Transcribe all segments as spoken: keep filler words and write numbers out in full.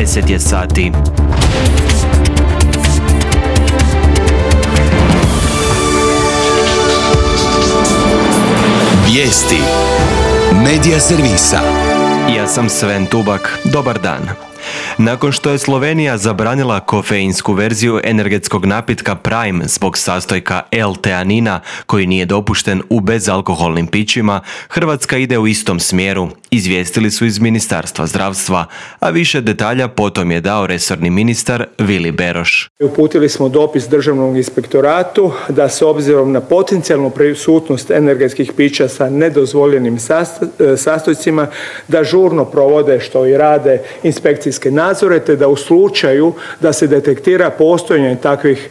deset je sati. Vijesti Medija servisa. Ja sam Sven Tubak. Dobar dan. Nakon što je Slovenija zabranila kofeinsku verziju energetskog napitka Prime zbog sastojka L-teanina koji nije dopušten u bezalkoholnim pićima, Hrvatska ide u istom smjeru, izvijestili su iz Ministarstva zdravstva, a više detalja potom je dao resorni ministar Vili Beroš. Uputili smo dopis Državnom inspektoratu da se obzirom na potencijalnu prisutnost energetskih pića sa nedozvoljenim sastojcima da žurno provode, što i rade, inspekcijske nadzore, te da u slučaju da se detektira postojanje takvih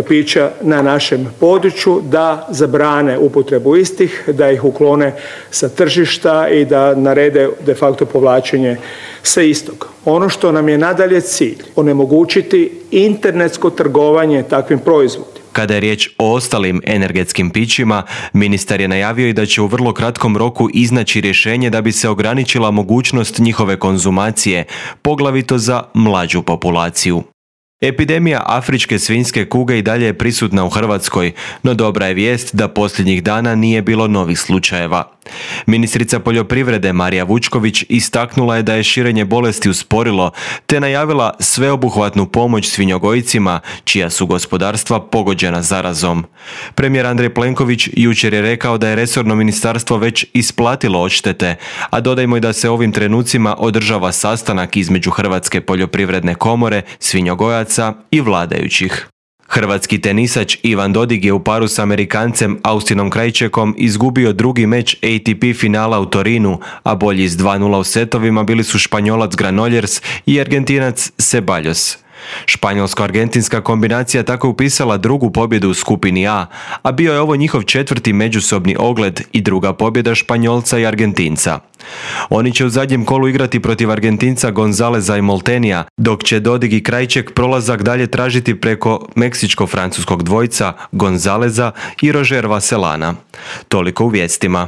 pića na našem području da zabrane upotrebu istih, da ih uklone sa tržišta i da narede de facto povlačenje sa istog. Ono što nam je nadalje cilj, onemogućiti internetsko trgovanje takvim proizvodima. Kada je riječ o ostalim energetskim pićima, ministar je najavio i da će u vrlo kratkom roku iznaći rješenje da bi se ograničila mogućnost njihove konzumacije, poglavito za mlađu populaciju. Epidemija afričke svinjske kuge i dalje je prisutna u Hrvatskoj, no dobra je vijest da posljednjih dana nije bilo novih slučajeva. Ministrica poljoprivrede Marija Vučković istaknula je da je širenje bolesti usporilo, te najavila sveobuhvatnu pomoć svinjogojcima čija su gospodarstva pogođena zarazom. Premijer Andrej Plenković jučer je rekao da je resorno ministarstvo već isplatilo odštete, a dodajmo i da se ovim trenucima održava sastanak između Hrvatske poljoprivredne komore, svinjogojaca i vladajućih. Hrvatski tenisač Ivan Dodig je u paru s Amerikancem Austinom Krajčekom izgubio drugi meč A T P finala u Torinu, a bolji s dva nula u setovima bili su Španjolac Granollers i Argentinac Ceballos. Španjolsko-argentinska kombinacija tako je upisala drugu pobjedu u skupini A, a bio je ovo njihov četvrti međusobni ogled i druga pobjeda Španjolca i Argentinca. Oni će u zadnjem kolu igrati protiv Argentinca Gonzaleza i Moltenija, dok će Dodig i Krajček prolazak dalje tražiti preko meksičko-francuskog dvojca Gonzaleza i Roger Vaselana. Toliko u vijestima.